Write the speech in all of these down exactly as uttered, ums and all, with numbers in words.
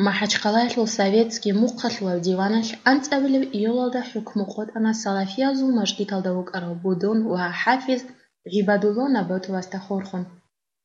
МахӀачхъалаялъул советский мухъалъулаб диваналъ анцӀабилеб июлалда хӀукму къотӀана салафиязул мажгиталда вукӀарав будун ва хӀафиз ГӀибадулла Наботовасда хурхун.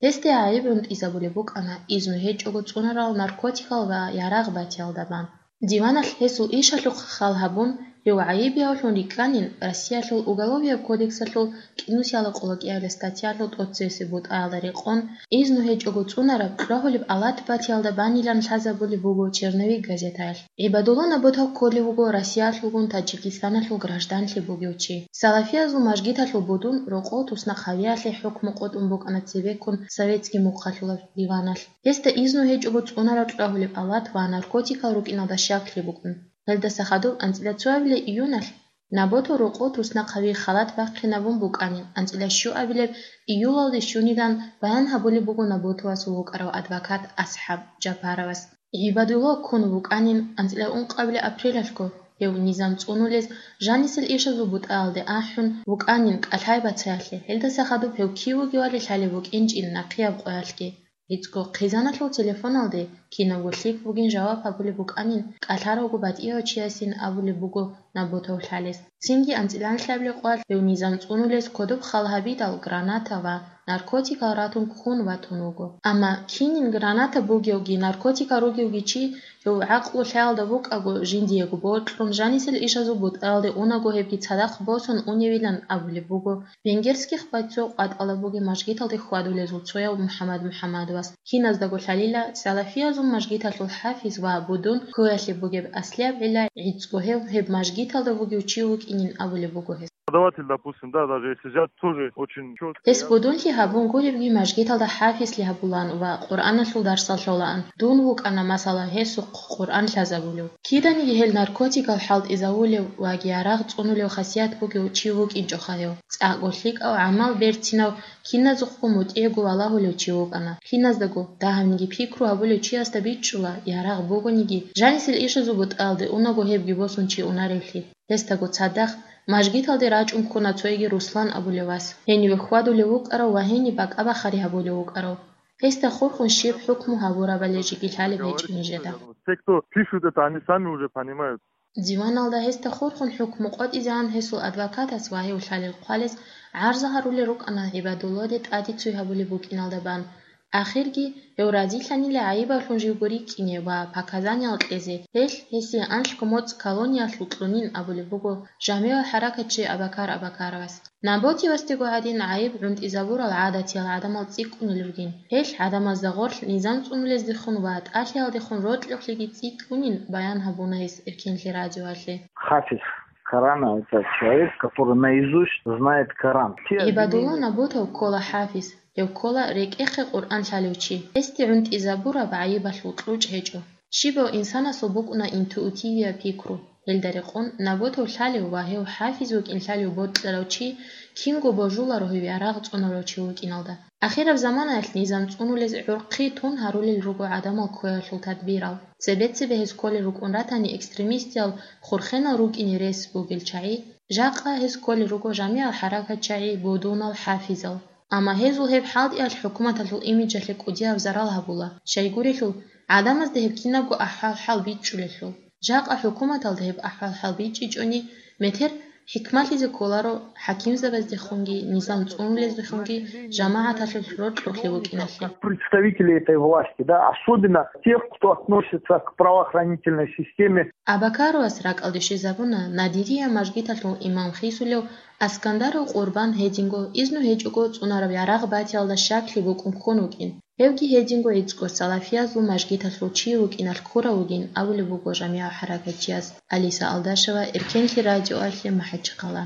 Гьесде гӀайиб гӀунтӀизабулеб букӀана изну гьечӀого цӀунарал наркотикал ва ярагъ батиялда бан. Диваналъ гьесул ишалъухъ хал гьабун, гьев гӀайибиявлъун рикӀкӀанин, Россиялъул Уголовияб кодексалъул кӀинусиялда къоло кӀиабилеб статьялъул тӀоцебесеб бутӀаялда рекъон, изну гьечӀого цӀунараб кьвагьулеб алат батиялда банилан лъазабулеб буго «Черновик» газетаялъ. ГӀибадулла Наботов кколев вуго Россиялъулгун Таджикистаналъул гражданлъи бугев чи. Салафиязул мажгиталъул будун рокъов туснахъ гьавиялъе хӀукму къотӀун букӀана цебеккун советский мухъалъулаб диваналъ. Гьесда изну гьечӀого цӀунараб кьвагьулеб алат ва наркотикал рукӀиналда щаклъи букӀун. Гьелдаса хадуб анцӀила цоабилеб июналъ Наботов рокъов туснахъ гьави халат бахъинабун букӀанин, анцӀила щуабилеб июлалде щунилан баян гьабулеб буго Наботовасул вукӀарав адвокат АсхӀаб Жапаровас. ГӀибадулла ккун вукӀанин анцӀила ункъабилеб апрелалъго, гьев низам цӀунулез жанисел ишазул бутӀаялде ахӀун вукӀанин кӀалъай бацаялъе, гьелдаса хадуб гьев кив вугевали лъалеб букӀинчӀин нахъияб къоялъги. ГӀицӀго хъизаналъул телефоналде кинабго лъикӀ бугин жаваб гьабулеб букӀанин, кӀалъаравго батӀияв чиясин абулеб буго Наботов лъалес. Цинги анцӀила лъабилеб къоялъ гьев низам цӀунулез кодоб хал гьабидал граната ва наркотикал ратун ккун ватун вуго. Амма кинин граната бугевги, наркотикал ругевги чи, гьев гӀакълу-хӀиялда букӀаго, жиндиего бокьун, жанисел ишазул бутӀаялде унаго гьебги цадахъ босун уневилан абулеб буго венгерских бойцов къватӀалда бугеб мажгиталде хьвадулезул цояв МухӀаммад МухӀаммадовас. Киназдаго лъалила, салафиязул мажгиталъул хӀафиз ва будун ккоялъе бугеб аслияб гӀилла гӀицӀго гьев гьеб мажгиталда вугев чи вукӀинин абулеб буго гьес. Преподаватель, допустим, да, даже если взять, тоже очень чётко. Гьес будунлъи гьабун гуребги, мажгиталда хӀафизлъи гьабулаан ва Къуръаналъул дарсал лъолаан. Дун вукӀана, масала, гьесухъ Къуръан лъазабулев. Киданиги гьел наркотикал хӀалтӀизавулев ва ярагъ цӀунулев хасият бугев чи вукӀинчӀоха гьев. ЦӀакъго лъикӀав, гӀамал берцинав, киназухъго мутӀигӀго валагьулев чи вукӀана. Киназдаго, дагьабниги пикру гьабулев чиясда бичӀчӀула, ярагъ бугониги, жанисел ишазул бутӀаялде унаго гьебги босун чи унаревлъи. Гьесдаго цадахъ мажгиталде рачӀун ккуна цоги Руслан абулев вас, гьениве хьвадулев вукӀарав ва гьениб бакӀа-бахари гьабулев вукӀарав. Гьесда хурхун щиб хӀукму гьабурабали жеги лъалеб гьечӀо нижеда. Те, кто пишут это, они сами уже понимают. Диваналда гьесда хурхун хӀукму къотӀизегӀан гьесул адвокатас ва гьев лъалел хъвалес гӀарза гьарулел рукӀана ГӀибадулладе тӀаде цой гьабулеб букӀиналда бан. Ахирги гьев разилъанила гӀайибавлъун живго рикӀкӀине ва показания кьезе, гьелъ гьесие анлъго моцӀ колониялъул кьунин абулеб буго жамигӀал хӀаракатчи Абакар Абакаровас. Наботовасдего гӀадин гӀайиб гӀунтӀизабурал гӀадатиял гӀадамал цӀикӀкӀунел ругин. Гьелъ гӀадамазда гъорлъ низам цӀунулездехун ва тӀалъиялдехун рокьулъиги цӀикӀкӀунин баян гьабуна гьес Эркенлъи радиоялъе. Хафиз Корана — это человек, который наизусть знает Коран. ГӀибадулла Наботов ккола хӀафиз, гьев ккола рекӀехъе Къуръан лъалев чи. Гьесде гӀунтӀизабураб гӀайибалъул кьучӀ гьечӀо. Щибав инсанасул букӀуна интуитивияб пикру. Гьелда рекъон Наботов лъалев ва гьев хӀафиз вукӀин лъалев бокьарав чи кинго божуларо гьев ярагъ цӀунарав чи вукӀиналда. Ахираб заманаялъ низам цӀунулез гӀурхъи тун гьарулел руго гӀадамал ккоялъул тадбирал. Цебе-цебе гьез кколел рукӀун ратани экстремистиял, хурхенал рукӀине рес бугел чагӀи, жакъа гьез кколел руго жамигӀал хӀаракатчагӀи, будунал, хӀафизал. Амма гьезул гьеб хӀалтӀиялъ хӀукуматалъул имиджалъе кӀудияб зарал гьабула, щайгурелъул, гӀадамазда гьеб кинабго ахӀвал-хӀал бичӀчӀулелъул. Жакъа хӀукуматалда гьеб ахӀвал-хӀал бичӀчӀичӀони, метер хӀикмалъизе кколаро хӀакимзабаздехунги, низам цӀунулездехунги жамагӀаталъулъ рокьулъе вукӀиналъе. Как представители этой власти, да, особенно тех, кто относится к правоохранительной системе. Абакаровас ракӀалде щвезабуна Надирия мажгиталъул имам хисулев Аскандаров Къурбан гьединго изну гьечӀого цӀунараб ярагъ батиялда щаклъи букӀун ккун вукӀин. Гьевги гьединго гӀицӀго салафиязул мажгиталъул чи вукӀиналъ ккурав вугин абулеб буго жамигӀал хӀаракатчияс. Алиса Алдашева, Эркенлъи радиоялъе, МахӀачхъала.